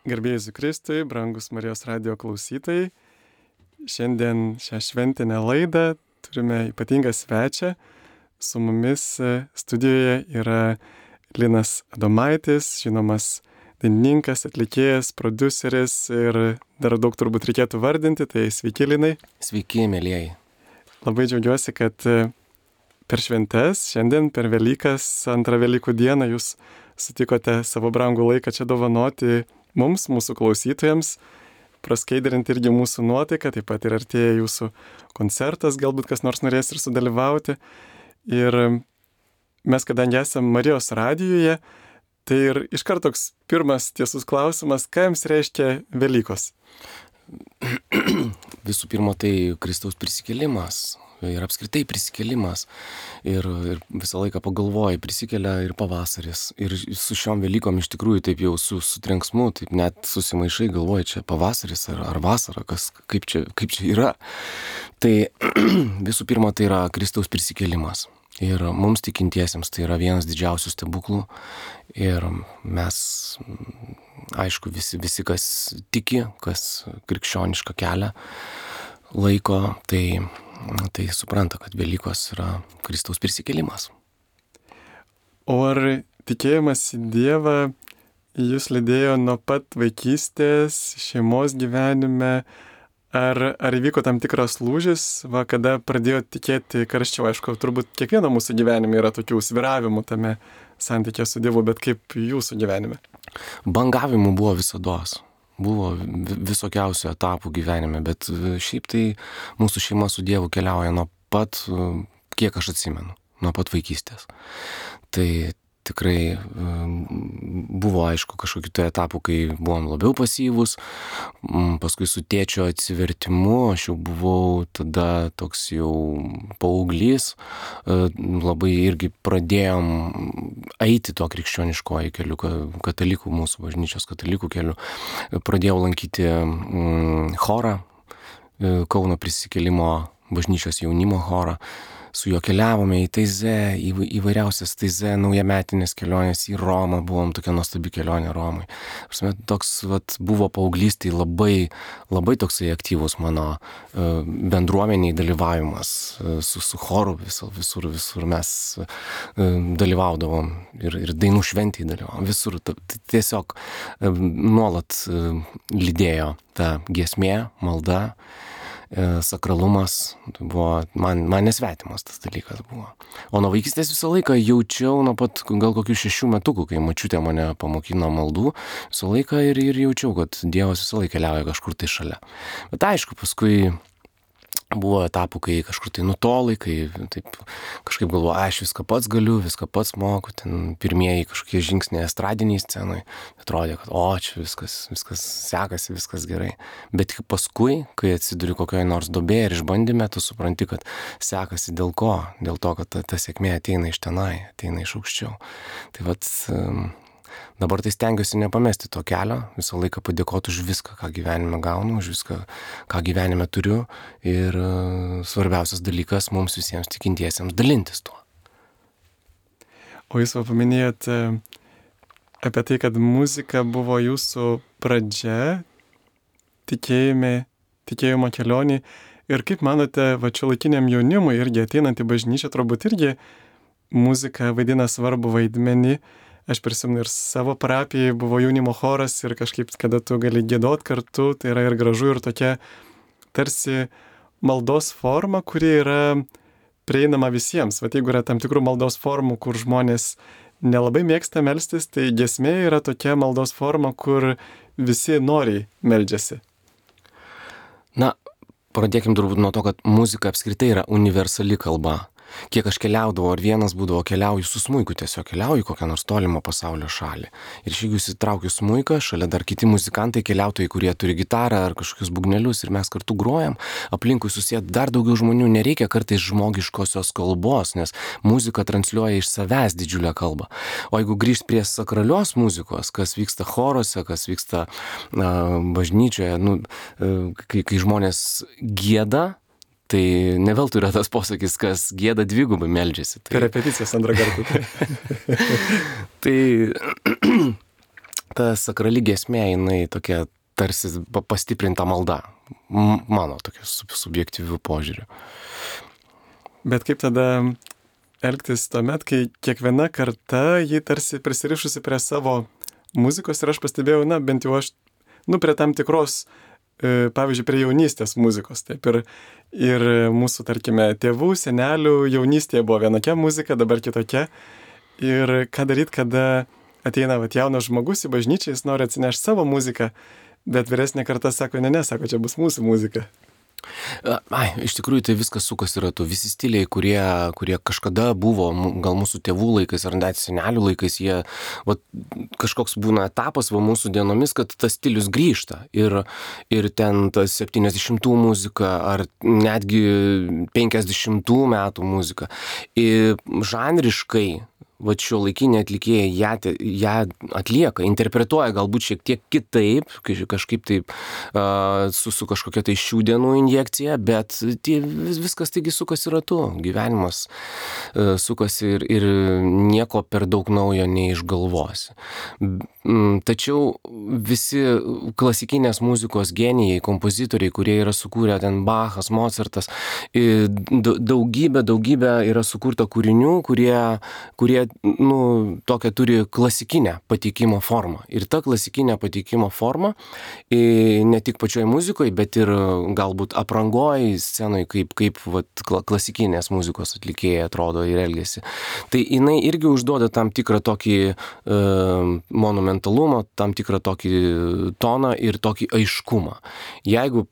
Garbėjai Jėzui Kristui, brangus Marijos radijo klausytojai. Šiandien šią šventinę laidą turime ypatingą svečią. Su mumis studijoje yra Linas Adomaitis, žinomas dainininkas, atlikėjas, prodiuseris ir dar daug turbūt reikėtų vardinti. Tai sveiki, Linai. Sveiki, mėlyjeji. Labai džiaugiuosi, kad per šventes, šiandien per Velykas, antrą Velykų dieną jūs sutikote savo brangų laiką čia dovanoti mums, mūsų klausytojams, praskaidrinti irgi mūsų nuotaiką, taip pat ir artėja jūsų koncertas, galbūt kas nors norės ir sudalyvauti. Ir mes, kadangi esame Marijos radijuje, tai ir iškart toks pirmas tiesus klausimas, ką jums reiškia Velykos? Visų pirma, tai Kristaus prisikėlimas ir apskritai prisikėlimas. Ir visą laiką pagalvoji, prisikelia ir pavasaris. Ir su šiom Velykom iš tikrųjų taip jau su trenksmu, taip net susimaišai, galvoji, čia pavasaris ar vasara, kaip čia yra. Tai visų pirma, tai yra Kristaus prisikėlimas. Ir mums tikintiesiems tai yra vienas didžiausių stebuklų. Ir mes, aišku, visi kas tiki, kas krikščionišką kelią laiko, tai supranta, kad Velykos yra Kristaus prisikėlimas. O ar tikėjimas į Dievą jūs lydėjo nuo pat vaikystės, šeimos gyvenime, ar įvyko tam tikras lūžis, kada pradėjo tikėti karščiau? Aišku, turbūt kiekvieno mūsų gyvenime yra tokių svyravimų tame santykė su Dievu, bet kaip jūsų gyvenime? Bangavimų buvo visados. Buvo visokiausių etapų gyvenime, bet šiaip tai mūsų šeima su Dievu keliauja nuo pat, kiek aš atsimenu, nuo pat vaikystės. Tai tikrai buvo, aišku, kažkokių tai etapų, kai buvom labiau pasyvūs, paskui su tėčio atsivertimu, aš jau buvau tada toks jau paauglys, labai irgi pradėjom eiti tuo krikščioniškoju keliu, katalikų, mūsų bažnyčios katalikų keliu. Pradėjau lankyti chorą, Kauno prisikėlimo bažnyčios jaunimo chorą. Su juo keliavome į Taizė, įvairiausias Taizė, naujametinės kelionės į Romą, buvom tokia nuostabi kelionė Romai. Toks buvo paauglystėje labai toksai aktyvus mano bendruomeniai dalyvavimas su choru, visur mes dalyvaudavom ir dainų šventėje dalyvavom, visur tiesiog nuolat lydėjo ta giesmė, malda. Sakralumas buvo, man nesvetimas tas dalykas buvo. O nuo vaikystės visą laiką jaučiau, nuo pat gal kokių 6 metukų, kai močiutė mane pamokino maldų, visą laiką ir jaučiau, kad Dievas visą laiką keliauja kažkur tai šalia. Bet aišku, paskui buvo etapų, kai kažkur tai nutolai, kai taip kažkaip galvoju, aš viską pats galiu, viską pats moku, ten pirmieji kažkokie žingsniai estradiniai scenai, atrodė, kad čia viskas sekasi, viskas gerai. Bet paskui, kai atsiduri kokioje nors duobėje ir išbandyme, tu supranti, kad sekasi dėl ko? Dėl to, kad ta sėkmė ateina iš tenai, ateina iš aukščiau. Tai dabar tai stengiuosi nepamesti to kelio, visą laiką padėkoti už viską, ką gyvenime gaunu, už viską, ką gyvenime turiu. Ir svarbiausias dalykas mums visiems tikintiesiems dalintis tuo. O jūs paminėjot apie tai, kad muzika buvo jūsų pradžia tikėjimo kelionė. Ir kaip manote, šiuolaikiniam jaunimui irgi ateinant į bažnyčią, turbūt irgi muzika vaidina svarbų vaidmenį. Aš prisimenu ir savo parapijai buvo jaunimo choras ir kažkaip, kada tu gali giedot kartu, tai yra ir gražu, ir tokia tarsi maldos forma, kuri yra prieinama visiems. Jeigu yra tam tikrų maldos formų, kur žmonės nelabai mėgsta melstis, tai giesmė yra tokia maldos forma, kur visi noriai meldžiasi. Na, pradėkim turbūt nuo to, kad muzika apskritai yra universali kalba. Kiek aš keliaudavau, ar vienas būdavo, keliauju su smuiku, tiesiog keliauju kokią nors tolimą pasaulio šalį. Ir jeigu įsitraukiu smuiką, šalia dar kiti muzikantai, keliautojai, kurie turi gitarą ar kažkokius būgnelius ir mes kartu grojam, aplinkui susėda dar daugiau žmonių, nereikia kartais žmogiškosios kalbos, nes muzika transliuoja iš savęs didžiulę kalbą. O jeigu grįžt prie sakralios muzikos, kas vyksta choruose, kas vyksta bažnyčioje, kai žmonės gieda, tai ne veltui yra tas posakis, kas gieda dvigubai meldžiasi. Tai repeticijas antrą kartą. ta sakrali giesmė, jinai tokia tarsi pastiprinta malda. Mano tokia subjektyvių požiūrių. Bet kaip tada elgtis tuomet, kai kiekviena karta jį tarsi prisirišusi prie savo muzikos ir aš pastebėjau, bent jau aš, prie tam tikros, pavyzdžiui, prie jaunystės muzikos. Taip ir mūsų, tarkime, tėvų, senelių jaunystėje buvo vienokia muzika, dabar kitokia. Ir ką daryti, kada ateina jaunas žmogus į bažnyčią, jis nori atsinešti savo muziką, bet vyresnė karta sako, sako, čia bus mūsų muzika. Iš tikrųjų tai viskas sukasi ratu. Visi stiliai, kurie kažkada buvo, gal mūsų tėvų laikais ar net senelių laikais, jie kažkoks būna etapas mūsų dienomis, kad tas stilius grįžta. Ir ten tas 70-ų muzika ar netgi 50-ų metų muzika. Ir žanriškai šiuolaikiniai atlikėjai ją atlieka, interpretuoja galbūt šiek tiek kitaip, kažkaip taip su kažkokia tai šių dienų injekcija, bet viskas taigi sukasi ratu, gyvenimas sukasi ir nieko per daug naujo neišgalvosi. Tačiau visi klasikinės muzikos genijai, kompozitoriai, kurie yra sukūrę ten Bachas, Mozartas, daugybė yra sukurta kūrinių, kurie tokią turi klasikinę pateikimo formą. Ir ta klasikinė pateikimo forma ne tik pačioj muzikoje, bet ir galbūt aprangoj, scenoje, kaip klasikinės muzikos atlikėjai atrodo ir elgiasi. Tai jinai irgi užduoda tam tikrą tokį monumentalumą, tam tikrą tokį toną ir tokį aiškumą. Jeigu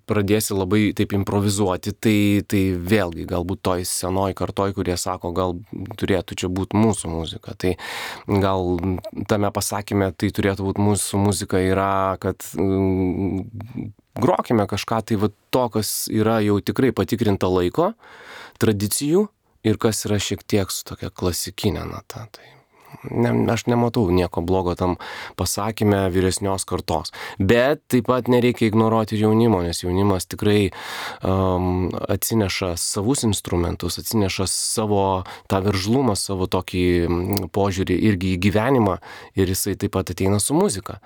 pradėsi labai taip improvizuoti, tai vėlgi galbūt toj senoj kartoj, kurie sako, gal turėtų čia būti mūsų muzika. Tai gal tame pasakyme tai turėtų būti mūsų muzika yra, kad grokime kažką tai to, kas yra jau tikrai patikrinta laiko, tradicijų ir kas yra šiek tiek su tokia klasikinė nata. Aš nematau nieko blogo tam pasakyme vyresnios kartos. Bet taip pat nereikia ignoruoti ir jaunimo, nes jaunimas tikrai atsineša savus instrumentus, atsineša savo tą veržlumą, savo tokį požiūrį irgi į gyvenimą ir jisai taip pat ateina su muzika.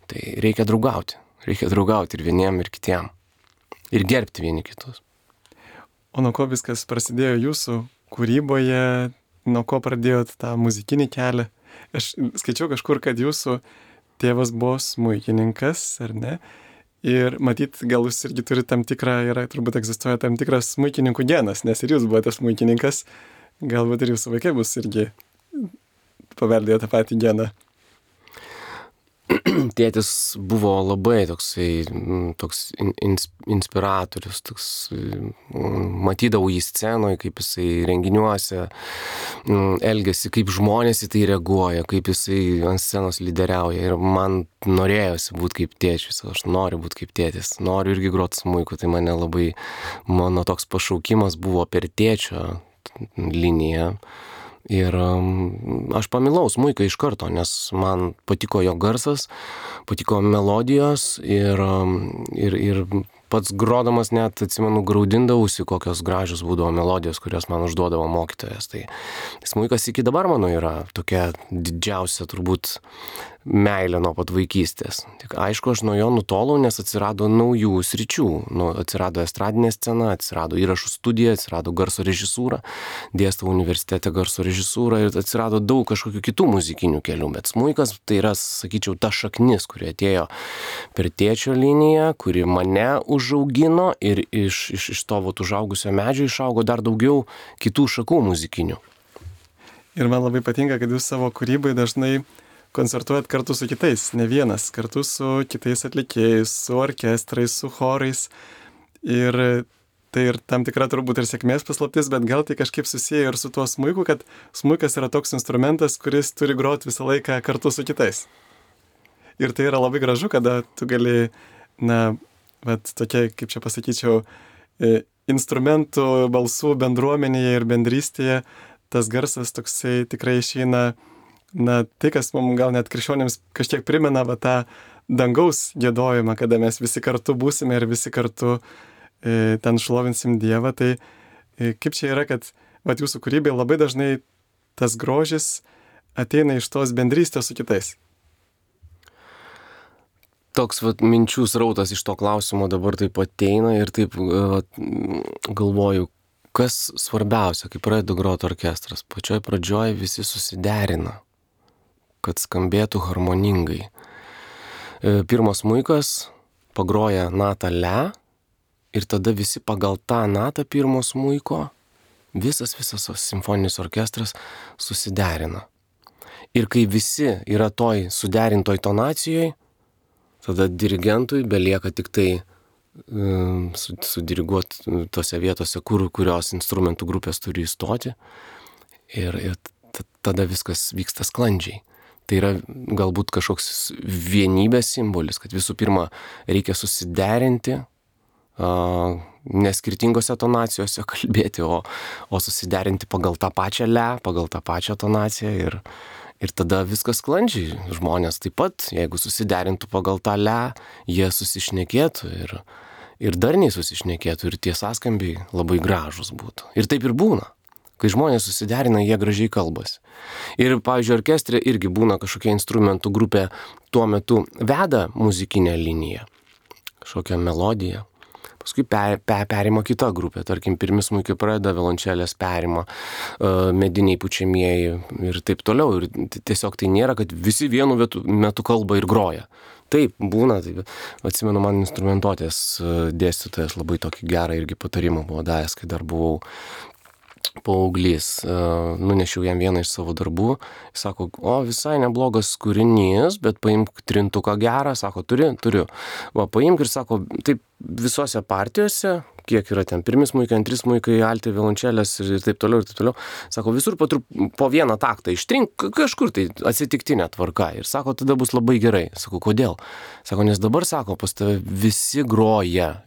Tai reikia draugauti ir vieniem, ir kitiem. Ir gerbti vieni kitus. O nuo ko viskas prasidėjo jūsų kūryboje? Nuo ko pradėjot tą muzikinį kelią? Aš skaičiau kažkur, kad jūsų tėvas buvo smuikininkas, ar ne? Ir matyt, gal jūs irgi turite tam tikrą, turbūt egzistuoja tam tikras smuikininkų genas, nes ir jūs buvote smuikininkas, galbūt ir jūsų vaikai bus irgi paveldėjo tą patį geną. Tėtis buvo labai toks inspiratorius, matydavau jį scenoje, kaip jisai renginiuose elgiasi, kaip žmonės į tai reaguoja, kaip jisai ant scenos lyderiauja ir man norėjosi būti kaip tėčius, aš noriu būti kaip tėtis, noriu irgi groti smuiku, tai mano toks pašaukimas buvo per tėčio liniją. Ir aš pamilau smuiką iš karto, nes man patiko jo garsas, patiko melodijos ir pats grodamas net, atsimenu, graudindavausi, kokios gražios būdavo melodijos, kurios man užduodavo mokytojas. Tai smuikas iki dabar mano yra tokia didžiausia turbūt meilė nuo pat vaikystės. Tik aišku, aš nuo jo nutolau, nes atsirado naujų sričių. Atsirado estradinė scena, atsirado įrašų studija, atsirado garso režisūra, dėstau universitete garso režisūrą ir atsirado daug kažkokių kitų muzikinių kelių. Bet smuikas tai yra, sakyčiau, ta šaknis, kuri atėjo per tėčio liniją, kuri mane užaugino ir iš to užaugusio medžio išaugo dar daugiau kitų šakų muzikinių. Ir man labai patinka, kad jūs savo kūrybai dažnai koncertuojat kartu su kitais, ne vienas, kartu su kitais atlikėjais, su orkestrais, su chorais. Ir tai ir tam tikra turbūt ir sėkmės paslaptis, bet gal tai kažkaip susiję ir su tuo smuiku, kad smuikas yra toks instrumentas, kuris turi groti visą laiką kartu su kitais. Ir tai yra labai gražu, kada tu gali, tokia, kaip čia pasakyčiau, instrumentų, balsų bendruomenėje ir bendrystėje, tas garsas toksai tikrai išeina, tai, kas mums gal net krikščionėms kažkiek primena tą dangaus giedojimą, kada mes visi kartu būsime ir visi kartu ten šlovinsim Dievą. Tai kaip čia yra, kad jūsų kūrybai labai dažnai tas grožis ateina iš tos bendrystės su kitais. toks vat minčių srautas iš to klausimo dabar taip ateina ir taip galvoju, kas svarbiausia, kai pradeda groti orkestras. Pačioj pradžioj visi susiderina, kad skambėtų harmoningai. Pirmas smuikas pagroja natą le ir tada visi pagal tą natą pirmo smuiko, visas simfoninis orkestras susiderina. Ir kai visi yra toj suderintoj tonacijoj, tada dirigentui belieka tik tai sudiriguoti tose vietose, kurios instrumentų grupės turi įstoti ir tada viskas vyksta sklandžiai. Tai yra galbūt kažkoks vienybės simbolis, kad visų pirma reikia susiderinti, ne skirtingose tonacijose kalbėti, o susiderinti pagal tą pačią le, pagal tą pačią tonaciją ir tada viskas sklandžiai. Žmonės taip pat, jeigu susiderintų pagal tą le, jie susišnekėtų ir darniai susišnekėtų ir tie sąskambiai labai gražus būtų. Ir taip ir būna. Kai žmonės susiderina, jie gražiai kalbasi. Ir, pavyzdžiui, orkestre irgi būna kažkokia instrumentų grupė tuo metu veda muzikinę liniją, kažkokią melodiją. Paskui perima kita grupė, tarkim, pirmi smuikai pradeda, violončelės perima, mediniai pučiamieji ir taip toliau. Ir tiesiog tai nėra, kad visi vienu metu kalba ir groja. Taip, būna. Taip. Atsimenu, man instrumentuotės dėstytojas labai tokį gerą irgi patarimą buvo davęs, kai dar buvau paauglys. Nunešiau jam vieną iš savo darbų. Jis sako, visai neblogas kūrinys, bet paimk trintuką gerą. Sako, turiu. Va, paimk ir sako, taip visose partijose, kiek yra ten pirmi smuikai, antri smuikai, alti, violončelės ir taip toliau. Sako, visur po vieną taktą ištrink kažkur tai atsitiktinė tvarka. Ir sako, tada bus labai gerai. Sako, kodėl? Sako, nes dabar, sako, pas tave visi groja.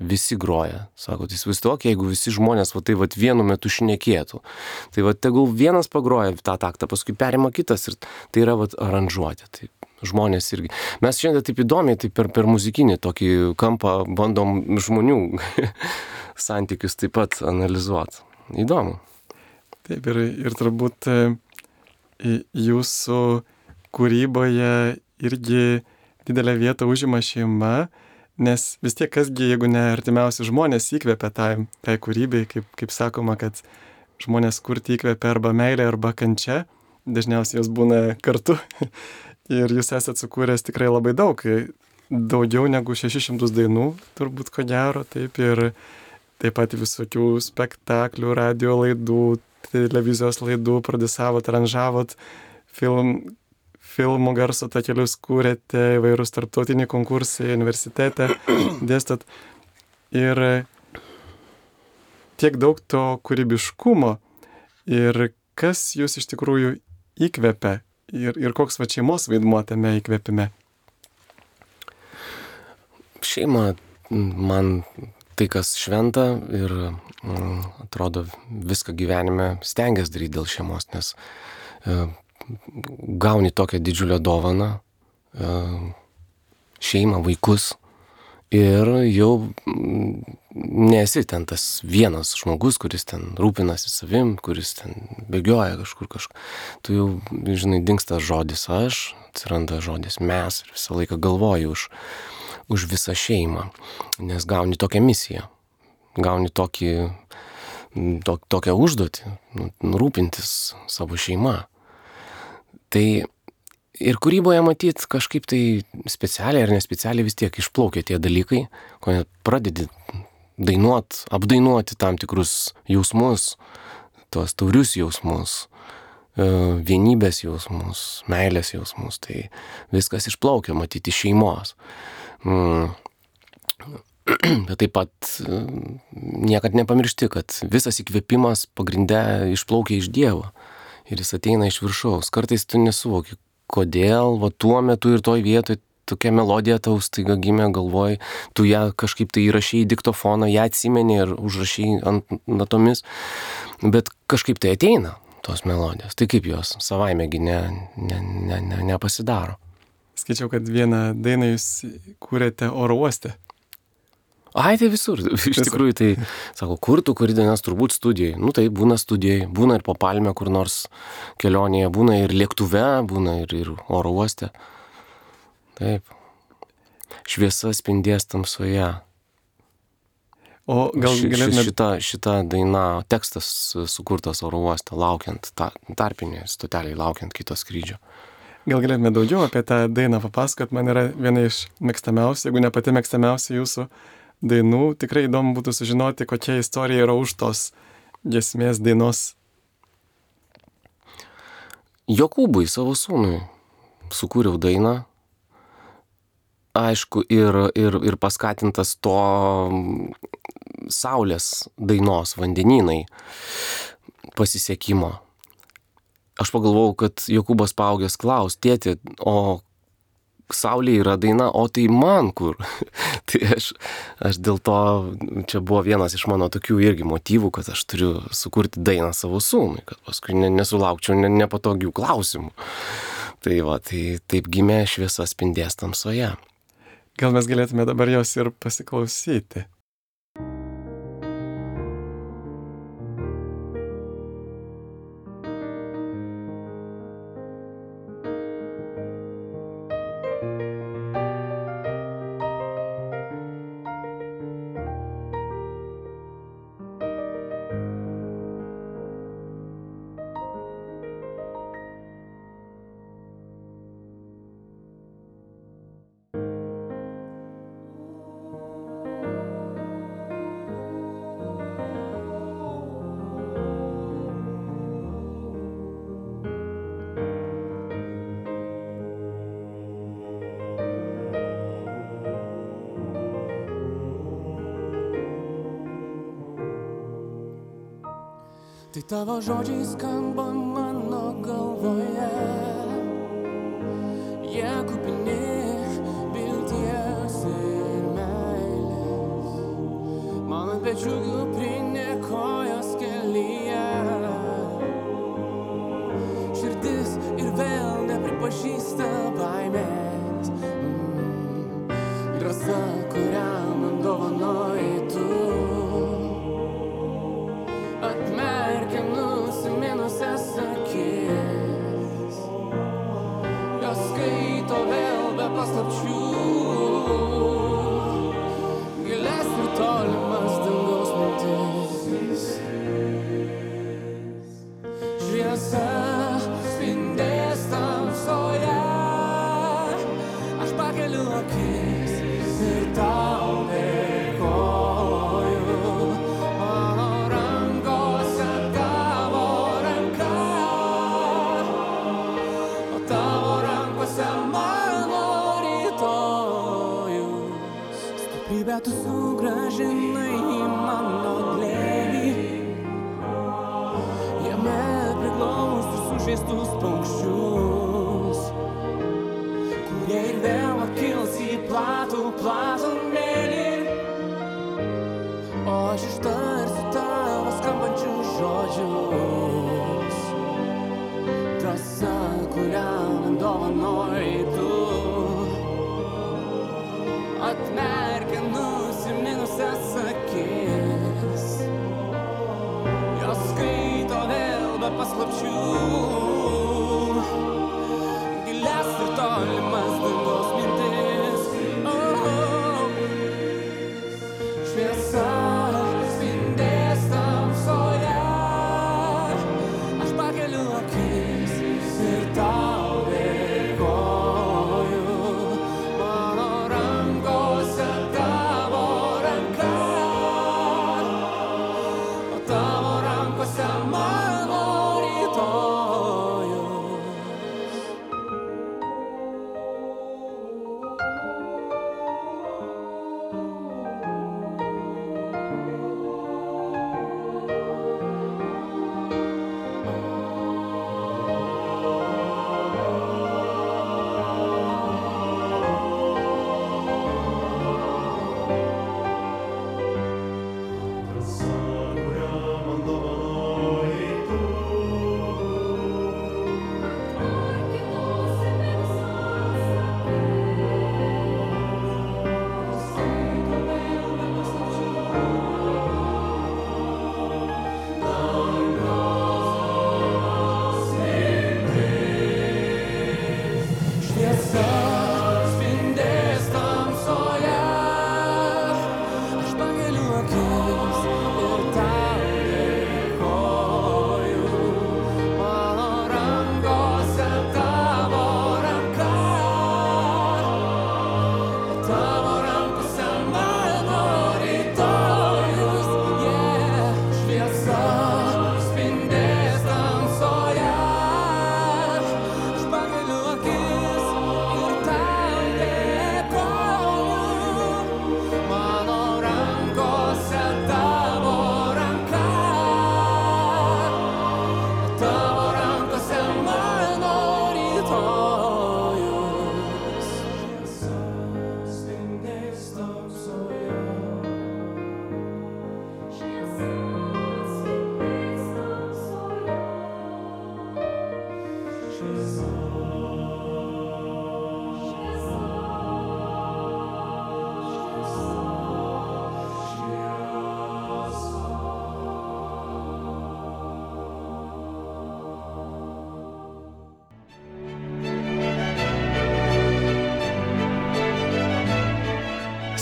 Sako, tai įsivaizduok, jeigu visi žmonės vienu metu šnekėtų. Tai tegul vienas pagroja tą taktą, paskui perima kitas ir tai yra aranžuoti. Tai žmonės irgi. Mes šiandien taip įdomiai, tai per muzikinį tokį kampą bandom žmonių santykius taip pat analizuoti. Įdomu. Taip, ir turbūt jūsų kūryboje irgi didelę vietą užima šeima, nes vis tiek kasgi, jeigu ne artimiausi žmonės įkvepia tai kūrybai, kaip sakoma, kad žmonės kurti įkvepia arba meilė, arba kančia, dažniausiai jos būna kartu. Ir jūs esate sukūręs tikrai labai daug, daugiau negu 600 dainų, turbūt ko gero, taip, ir taip pat visokių spektaklių, radio laidų, televizijos laidų, prodiusavot, aranžavot, filmų garso takelius kūrėte, įvairūs tarptautiniai konkursai, universitete dėstot. Ir tiek daug to kūrybiškumo ir kas jūs iš tikrųjų įkvepia ir koks šeimos vaidmuo tame įkvėpime? Šeima man tai, kas šventa ir atrodo viską gyvenime stengiasi daryti dėl šeimos, nes gauni tokią didžiulę dovaną, šeimą, vaikus ir jau nesi ten tas vienas žmogus, kuris ten rūpinasi savim, kuris ten bėgioja kažkur. Tu jau, žinai, dingsta žodis aš, atsiranda žodis mes ir visą laiką galvoji už visą šeimą, nes gauni tokią misiją, gauni tokią užduotį, rūpintis savo šeima. Tai ir kūryboje matyt kažkaip tai specialiai ar nespecialiai vis tiek išplaukia tie dalykai, kuomet pradedi apdainuoti tam tikrus jausmus, tuos taurius jausmus, vienybės jausmus, meilės jausmus, tai viskas išplaukia matyti iš šeimos. Bet taip pat niekad nepamiršti, kad visas įkvėpimas pagrinde išplaukia iš Dievo ir jis ateina iš viršaus. Kartais tu nesuvoki, kodėl tuo metu ir toj vietoj tokia melodija tau staiga gimė galvoj, tu ją kažkaip tai įrašei į diktofoną, ją atsimeni ir užrašei ant natomis, bet kažkaip tai ateina tos melodijos. Tai kaip jos savaimegi nepasidaro. Skaičiau, kad vieną dainą jūs kūrėte oro uoste. Ai, tai visur. Iš tikrųjų, tai, sako, kur tu kuri dainas, turbūt studijai. Nu tai būna studijai, būna ir po palmę kur nors kelionėje, būna ir lėktuve, būna ir oro uoste. Taip. Šviesa spindės tamsoje. O gal galėtume... Šita daina, tekstas sukurtas oro uoste, laukiant, tarpinėje stoteliai, laukiant kito skrydžio. Gal galėtume daugiau apie tą dainą papasakot, man yra viena iš mėgstamiausių, jeigu ne pati mėgstamiausia jūsų dainų, tikrai įdomu būtų sužinoti, kokia istorija yra už tos giesmės dainos. Jokūbui, savo sūnui, sukūriau dainą, aišku, ir paskatintas to saulės dainos vandenynai pasisekimo. Aš pagalvojau, kad Jokūbas paaugęs klaus, tėti, o saulė yra daina, o tai man kur? Tai aš dėl to, čia buvo vienas iš mano tokių irgi motyvų, kad aš turiu sukurti dainą savo sūnui, kad paskui nesulaukčiau nepatogių klausimų. Tai va, tai taip gimė Šviesa spindės tamsoje. Gal mes galėtume dabar jos ir pasiklausyti. Tai tavo žodžiai skamba mano galvoje, jie kupini vilties ir meilės, mano pečių kuprinė kojos kelyje, širdis ir vėl nepripažįsta baimės, drąsa, kurią man dovanoji tu. Atmerkia nusiminusias akis, jos skaito vėl be paslapčių, gilias ir tolimas dangaus mintis. Šviesa spindės tamsoje, aš pakeliu akis ir tau dėkoju. Bet tu sugrąžinai į mano glėbį, jame priglaustus sužeistus paukščius, kurie ir vėl pakils į platų mėlį, o aš ištarsiu tavo skambančius žodžius, drąsa, kurią man dovanoji tu. Atmerkia nusiminusias akis, jos skaito vėl be paslapčių, gilias ir tolimas dangaus mintis. Šviesa spindės tamsoje, aš pakeliu akis ir tau dėkoju. tavo rankose mano rytojus, šviesa spindės tamsoje. Aš pakeliu akis ir tau dėkoju, mano rankose tavo ranka, tavo rankose mano rytojus. Šviesa spindės tamsoje. Šviesa spindės tamsoje. Šviesa.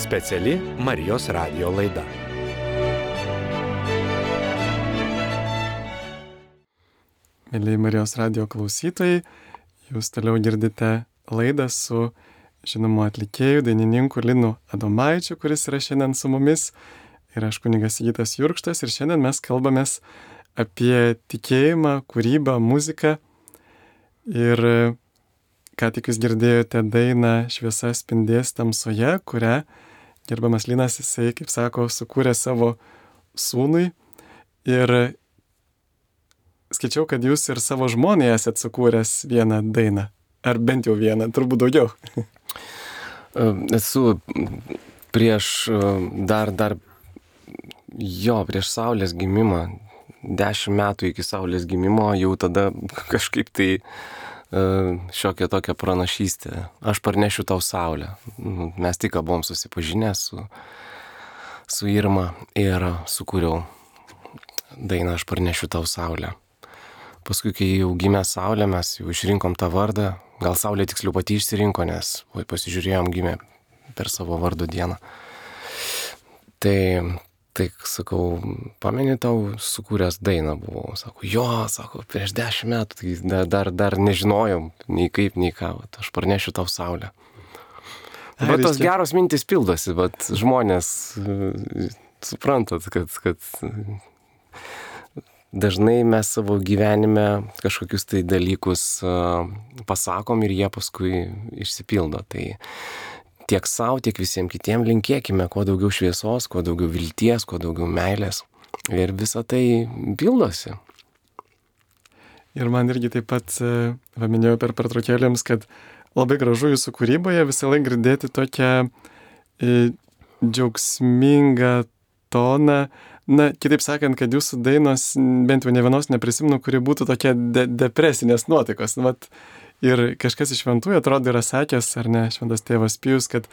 Speciali Marijos radijo laida. Mėlyje Marijos radijo klausytojai, jūs toliau girdite laidą su žinomu atlikėju, dainininku Linu Adomaičiu, kuris yra šiandien su mumis, ir aš kunigas Sigitas Jurkštas, ir šiandien mes kalbamės apie tikėjimą, kūrybą, muziką. Ir ką tik jūs girdėjote dainą Šviesa spindės tamsoje, kurią gerbiamas Linas, jisai, kaip sako, sukūrė savo sūnui. Ir skaičiau, kad jūs ir savo žmonai esat sukūręs vieną dainą. Ar bent jau vieną, turbūt daugiau. Esu prieš prieš Saulės gimimą, 10 metų iki Saulės gimimo, jau tada kažkaip tai šiokia tokia pranašystė. Aš parnešiu tau Saulę. Mes tik buvom susipažinę su Irma ir sukūriau dainą Aš parnešiu tau Saulę. Paskui, kai jau gimė Saulė, mes jau išrinkom tą vardą. Gal Saulė tiksliau pati išsirinko, nes pasižiūrėjom, gimė per savo vardo dieną. Tai sakau, pameni, tau sukūręs dainą buvau. Sako, prieš 10 metų, tai dar nežinojom nei kaip, nei ką. Aš parnešiu tau Saulę. Bet tos geros mintis pildosi, bet žmonės suprantat, kad dažnai mes savo gyvenime kažkokius tai dalykus pasakom ir jie paskui išsipildo. Tai tiek savo, tiek visiems kitiems linkėkime kuo daugiau šviesos, kuo daugiau vilties, kuo daugiau meilės. Ir visa tai pildosi. Ir man irgi taip pat paminėjau per pertraukėlėms, kad labai gražu jūsų kūryboje visą laiką girdėti tokią džiaugsmingą toną. Na, kitaip sakant, kad jūsų dainos, bent jau ne vienos neprisimenu, kuri būtų tokia depresinės nuotaikos. Ir kažkas iš šventųjų atrodo yra sakęs, ar ne, šventas tėvas Pijus, kad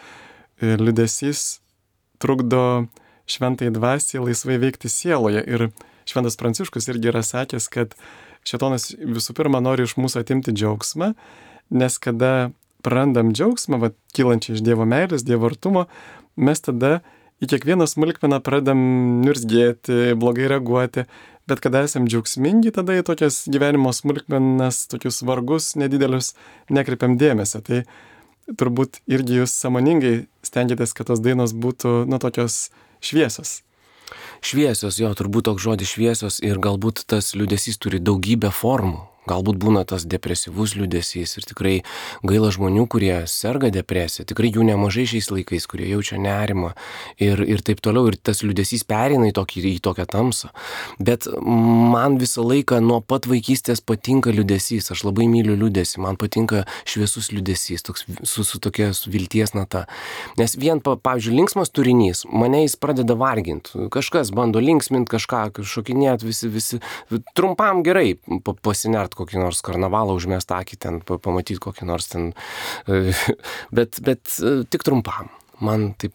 liūdesys trukdo šventai dvasiai laisvai veikti sieloje. Ir šventas Pranciškus irgi yra sakęs, kad šėtonas visų pirma nori iš mūsų atimti džiaugsmą, nes kada prarandam džiaugsmą, kylančią iš Dievo meilės, Dievo artumo, mes tada į kiekvieną smulkmeną pradedam niurzgėti, blogai reaguoti, bet kada esam džiaugsmingi, tada į tokias gyvenimo smulkmenas, tokius vargus nedidelius nekreipiam dėmesio. Tai turbūt irgi jūs sąmoningai stengiatės, kad tos dainos būtų, tokios šviesios. Šviesios, turbūt toks žodis šviesios, ir galbūt tas liūdesys turi daugybę formų. Galbūt būna tas depresyvus liūdesys ir tikrai gaila žmonių, kurie serga depresija, tikrai jų nemažai šiais laikais, kurie jaučia nerimą ir taip toliau, ir tas liūdesys pereina į tokią tamsą. Bet man visą laiką nuo pat vaikystės patinka liūdesys, aš labai myliu liūdesį, man patinka šviesus liūdesys, toks su tokia vilties nata. Nes vien, pavyzdžiui, linksmas turinys, mane jis pradeda varginti, kažkas bando linksminti kažką, šokinėti, visi trumpam gerai pasinert kokį nors karnavalą, užmest akį ten, pamatyti kokį nors ten, bet tik trumpam. Man taip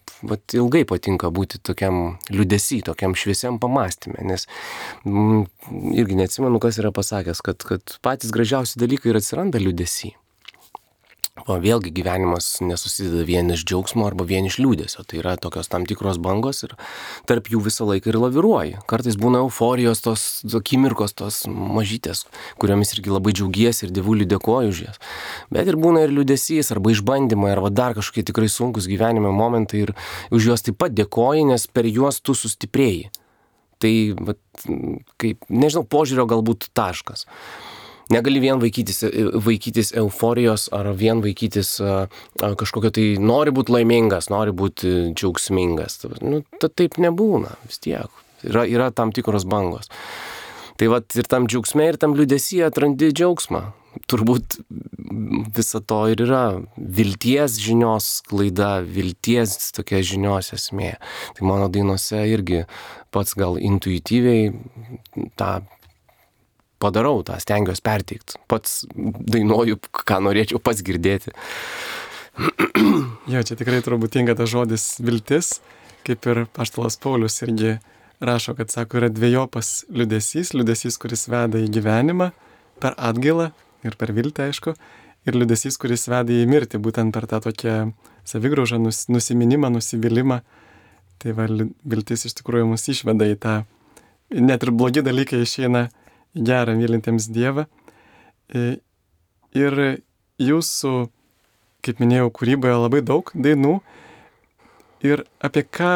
ilgai patinka būti tokiam liūdesy, tokiam šviesiam pamąstyme, nes irgi neatsimenu, kas yra pasakęs, kad patys gražiausi dalykai ir atsiranda liūdesy. Vėlgi gyvenimas nesusideda vien iš džiaugsmo arba vien iš liūdėsio. Tai yra tokios tam tikros bangos ir tarp jų visą laiką ir laviruoji. Kartais būna euforijos, tos akimirkos, tos mažytės, kuriomis irgi labai džiaugiesi ir Dievuliui dėkoju už jas. Bet ir būna ir liūdesys, arba išbandymai, arba dar kažkokie tikrai sunkus gyvenime momentai ir už juos taip pat dėkoji, nes per juos tu sustiprėjai. Tai, kaip, nežinau, požiūrio galbūt taškas. Negali vien vaikytis euforijos ar vien vaikytis kažkokio tai nori būti laimingas, nori būti džiaugsmingas. Taip nebūna vis tiek. Yra tam tikros bangos. Tai ir tam džiaugsme ir tam liūdesyje atrandi džiaugsmą. Turbūt viso to ir yra vilties žinios klaida, vilties tokia žinios esmė. Tai mano dainose irgi pats gal intuityviai tą padarau, tą stengiuosi perteikti. Pats dainuoju, ką norėčiau pats girdėti. Jo, čia tikrai turbūt tinka tas žodis viltis, kaip ir apaštalas Paulius irgi rašo, kad sako, yra dvejopas liūdesys, kuris veda į gyvenimą per atgailą ir per viltį, aišku, ir liūdesys, kuris veda į mirtį, būtent per tą tokią savigraužą, nusiminimą, nusivylimą. Tai viltis iš tikrųjų mus išveda į tą, net ir blogi dalykai išeina gerą mylintiems Dievą. Ir jūsų, kaip minėjau, kūryboje labai daug dainų. Ir apie ką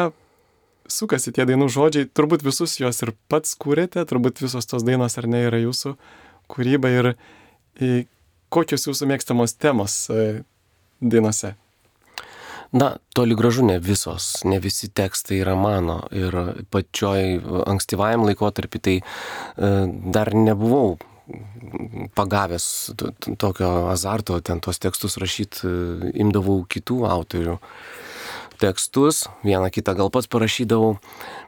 sukasi tie dainų žodžiai, turbūt visus juos ir pats kūrėte, turbūt visos tos dainos ar ne yra jūsų kūryba ir kokios jūsų mėgstamos temos dainose? Na, toli gražu ne visos, ne visi tekstai yra mano ir pačioj ankstyvajam laikotarpį tai dar nebuvau pagavęs tokio azarto, ten tos tekstus rašyti, imdavau kitų autorių tekstus, vieną kitą gal pats parašydavau,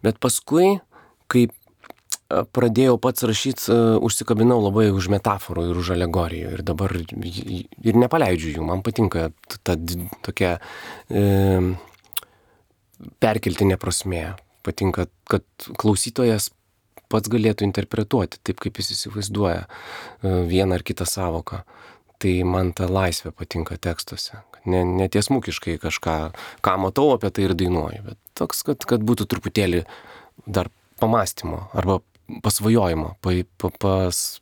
bet paskui, kai pradėjau pats rašyti, užsikabinau labai už metaforų ir už alegorijų ir dabar ir nepaleidžiu jų, man patinka ta tokia perkeltinė prasmė, patinka, kad klausytojas pats galėtų interpretuoti taip, kaip jis įsivaizduoja vieną ar kitą savoką. Tai man ta laisvė patinka tekstuose. Netiesmukiškai kažką, ką matau apie tai ir dainuoju, bet toks, kad būtų truputėlį dar pamąstymo arba pasvajojimo,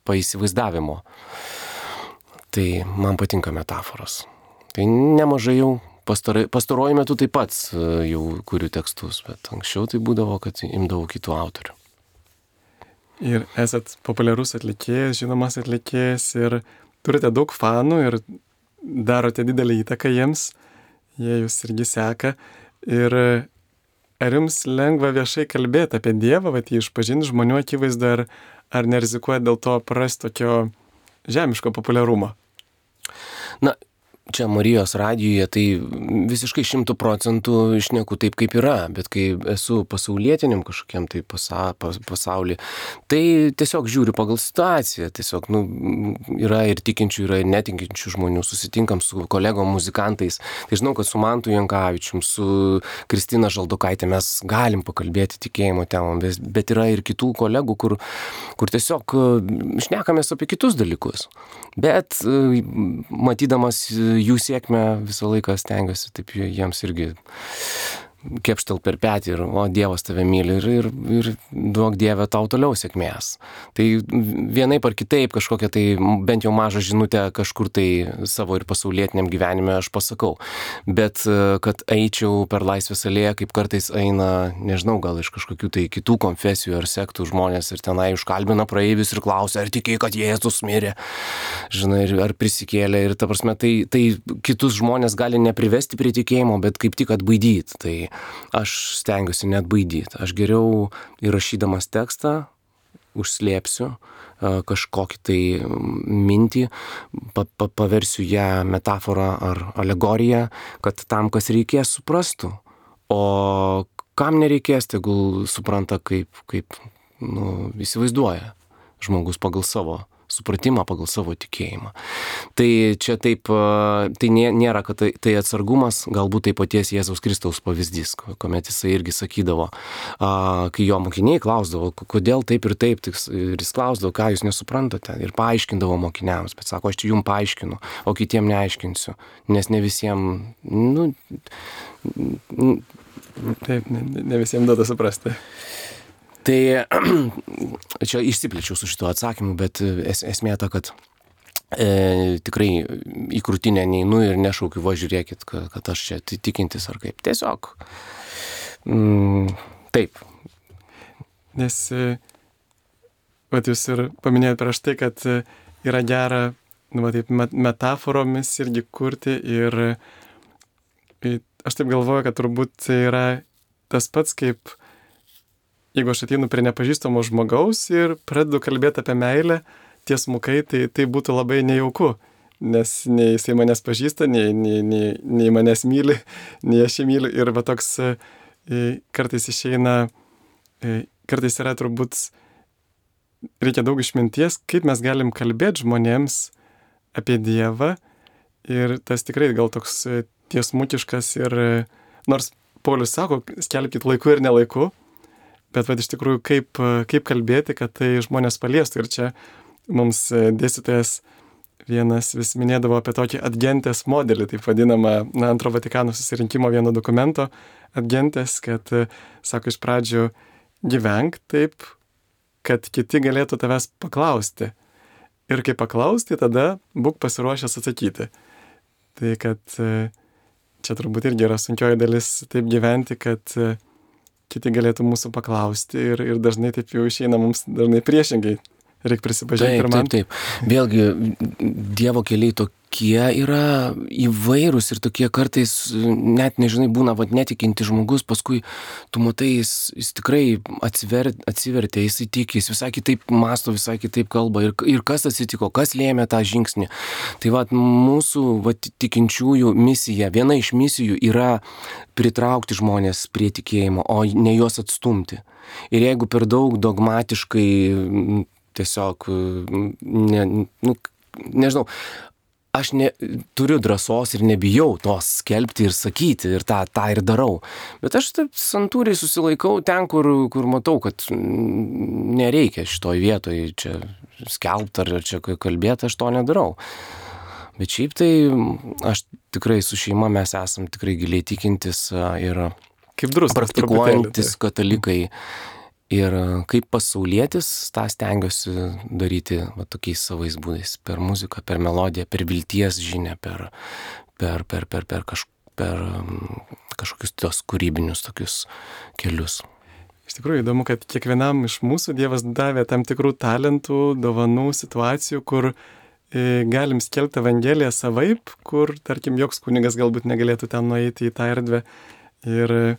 paįsivaizdavimo. Tai man patinka metaforos. Tai nemažai jau pastaruoju metu taip pat jau kuriu tekstus, bet anksčiau tai būdavo, kad imdavau kitų autorių. Ir esat populiarus atlikėjas, žinomas atlikėjas ir turite daug fanų ir darote didelį įtaką jiems, jie jūs irgi seka. Ir ar jums lengva viešai kalbėti apie Dievą, jį išpažinti žmonių akivaizdoje, ar nerizikuojat dėl to prarasti tokio žemiško populiarumo? Na, čia Marijos radijuje tai visiškai 100% išneku taip, kaip yra, bet kai esu pasaulietiniam kažkokiam tai pasaulį, tai tiesiog žiūriu pagal situaciją, tiesiog yra ir tikinčių, yra ir netikinčių žmonių, susitinkam su kolegom muzikantais, tai žinau, kad su Mantu Jankavičium, su Kristina Žaldokaitė mes galim pakalbėti tikėjimo temom, bet yra ir kitų kolegų, kur tiesiog šnekamės apie kitus dalykus, bet matydamas jų sėkmę visą laiką stengiuosi taip jiems irgi kepštel per petį ir Dievas tave myli ir duok Dieve tau toliau sėkmės. Tai vienaip ar kitaip kažkokią tai bent jau mažą žinutę kažkur tai savo ir pasaulietiniam gyvenime aš pasakau. Bet kad eičiau per Laisvės alėją, kaip kartais eina, nežinau, gal iš kažkokių tai kitų konfesijų ar sektų žmonės ir tenai užkalbina praeivius ir klausia, ar tikėjai, kad Jėzus mirė, žinai, ar prisikėlė. Ir ta prasme, tai kitus žmonės gali neprivesti prie tikėjimo, bet kaip tik atbaidyti. Tai aš stengiuosi neatbaidyti. Aš geriau įrašydamas tekstą užslėpsiu kažkokį tai mintį, paversiu ją metaforą ar alegoriją, kad tam, kas reikės, suprastų. O kam nereikės, tegul supranta, kaip įsivaizduoja žmogus pagal savo supratimą, pagal savo tikėjimą. Tai čia taip, tai nėra, kad tai atsargumas, galbūt tai paties Jėzaus Kristaus pavyzdys, kuomet jisai irgi sakydavo, kai jo mokiniai klausdavo, kodėl taip ir taip, ir jis klausdavo, ką jūs nesuprantate, ir paaiškindavo mokiniams, bet sako, aš čia jums paaiškinu, o kitiem neaiškinsiu, nes ne visiems, Taip, ne visiems duoda suprasti. Tai čia išsiplėčiau su šituo atsakymu, bet esmė ta, kad tikrai į krūtinę neinu ir nešaukiu, va žiūrėkit, kad aš čia tikintis ar kaip. Tiesiog taip. Nes, jūs ir paminėjote prieš tai, kad yra gera, taip, metaforomis irgi kurti ir aš taip galvoju, kad turbūt tai yra tas pats, kaip jeigu aš ateinu prie nepažįstamo žmogaus ir pradedu kalbėti apie meilę tiesmukai, tai būtų labai nejauku, nes nei jisai manęs pažįsta, nei manęs myli, nei aš jį myliu. Ir va toks kartais išeina, kartais yra turbūt, reikia daug išminties, kaip mes galim kalbėti žmonėms apie Dievą. Ir tas tikrai gal toks tiesmukiškas ir nors Paulius sako, skelbkit laiku ir nelaiku, bet iš tikrųjų kaip kalbėti, kad tai žmonės paliestų. Ir čia mums dėstytojas vienas vis minėdavo apie tokį adgentės modelį, taip vadinamą Antro Vatikano susirinkimo vieno dokumento adgentės, kad, sako, iš pradžių gyvenk taip, kad kiti galėtų tavęs paklausti. Ir kai paklausti, tada būk pasiruošęs atsakyti. Tai kad čia turbūt irgi yra sunkioji dalis taip gyventi, kad kiti galėtų mūsų paklausti ir dažnai taip jau išeina mums dažnai priešingai. Reikia prisipažinti ir man. Taip. Vėlgi, Dievo keliai tokie yra įvairūs ir tokie kartais, net nežinai, būna netikinti žmogus, paskui tu matai, jis tikrai atsivertė, jis įtikė, jis visai kitaip masto, visai kitaip kalba ir kas atsitiko, kas lėmė tą žingsnį. Tai mūsų tikinčiųjų misija, viena iš misijų yra pritraukti žmonės prie tikėjimo, o ne juos atstumti. Ir jeigu per daug dogmatiškai tiesiog, nežinau, aš turiu drąsos ir nebijau tos skelbti ir sakyti ir tą ir darau. Bet aš taip santūriai susilaikau ten, kur matau, kad nereikia šitoj vietoj čia skelbti ar čia kalbėti, aš to nedarau. Bet šiaip tai aš tikrai su šeima mes esam tikrai giliai tikintis ir kaip druskas, praktikuojantis katalikai. Ir kaip pasaulietis, tą stengiuosi daryti tokiais savais būdais. Per muziką, per melodiją, per vilties žinią, per kažkokius tos kūrybinius tokius kelius. Iš tikrųjų įdomu, kad kiekvienam iš mūsų Dievas davė tam tikrų talentų, dovanų, situacijų, kur galim skelbti Evangeliją savaip, kur, tarkim, joks kunigas galbūt negalėtų ten nueiti į tą erdvę. Ir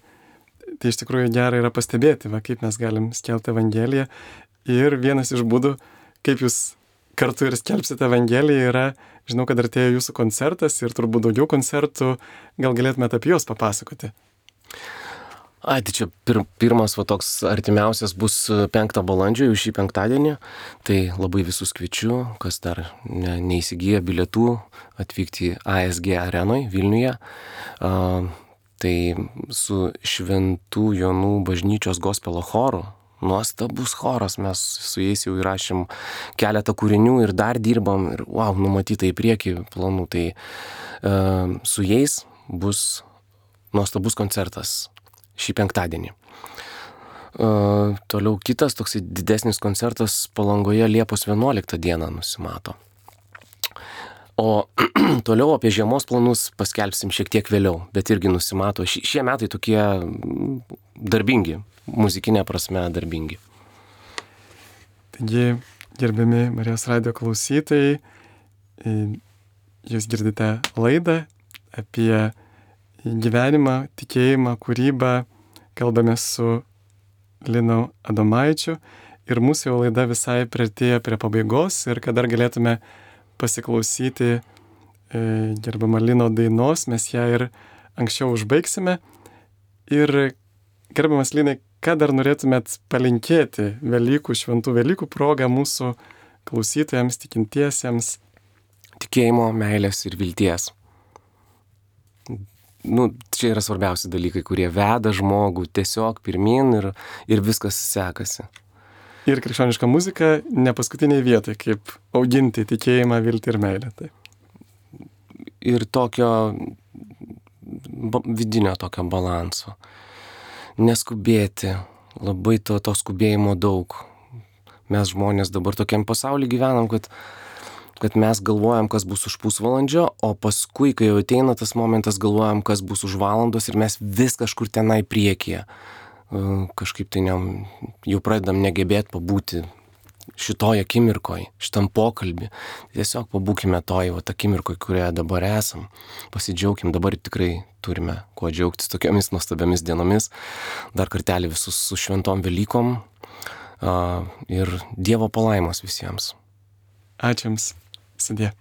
tai iš tikrųjų gera yra pastebėti, kaip mes galim skelbti Evangeliją. Ir vienas iš būdų, kaip jūs kartu ir skelbsite Evangeliją, yra, žinau, kad artėja jūsų koncertas ir turbūt daugiau koncertų, gal galėtumėte apie juos papasakoti. Tai čia pirmas toks artimiausias bus 5 balandžio, jau šį penktadienį. Tai labai visus kviečiu, kas dar neįsigiję bilietų, atvykti ASG arenoj Vilniuje. Tai su Šventų Jonų bažnyčios gospelo choru, nuostabus choras, mes su jais jau įrašėm keletą kūrinių ir dar dirbam ir numatyta į priekį planų. Tai su jais bus nuostabus koncertas šį penktadienį. Toliau kitas toksai didesnis koncertas Palangoje Liepos 11 dieną nusimato. O toliau apie žiemos planus paskelbsim šiek tiek vėliau, bet irgi nusimato. Šie metai tokie darbingi, muzikinė prasme darbingi. Taigi, gerbiami Marijos radijo klausytojai, jūs girdite laidą apie gyvenimą, tikėjimą, kūrybą. Kalbame su Linu Adomaičiu ir mūsų jau laida visai priartėja prie pabaigos ir kad dar galėtume pasiklausyti gerbiamą Lino dainos, mes ją ir anksčiau užbaigsime. Ir gerbiamas Linai, ką dar norėtumėt palinkėti Velykų, šventų Velykų progą mūsų klausytojams, tikintiesiems? Tikėjimo, meilės ir vilties. Čia yra svarbiausi dalykai, kurie veda žmogų tiesiog pirmin ir viskas sekasi. Ir krikščioniška muzika ne paskutiniai vietai, kaip auginti tikėjimą, viltį ir meilę. Tai. Ir tokio vidinio tokio balanso. Neskubėti, labai to skubėjimo daug. Mes žmonės dabar tokiam pasauly gyvenam, kad mes galvojam, kas bus už pusvalandžio, o paskui, kai jau ateina tas momentas, galvojam, kas bus už valandos ir mes vis kažkur tenai priekyje. Kažkaip tai jau pradedam negebėti pabūti šitoj akimirkoj, šitam pokalbį. Tiesiog pabūkime toj akimirkoj, kurioje dabar esam. Pasidžiaugim, dabar tikrai turime kuo džiaugtis tokiamis nuostabiamis dienomis. Dar kartelį visus su šventom Velykom ir Dievo palaimos visiems. Ačiū Jums. Sudie.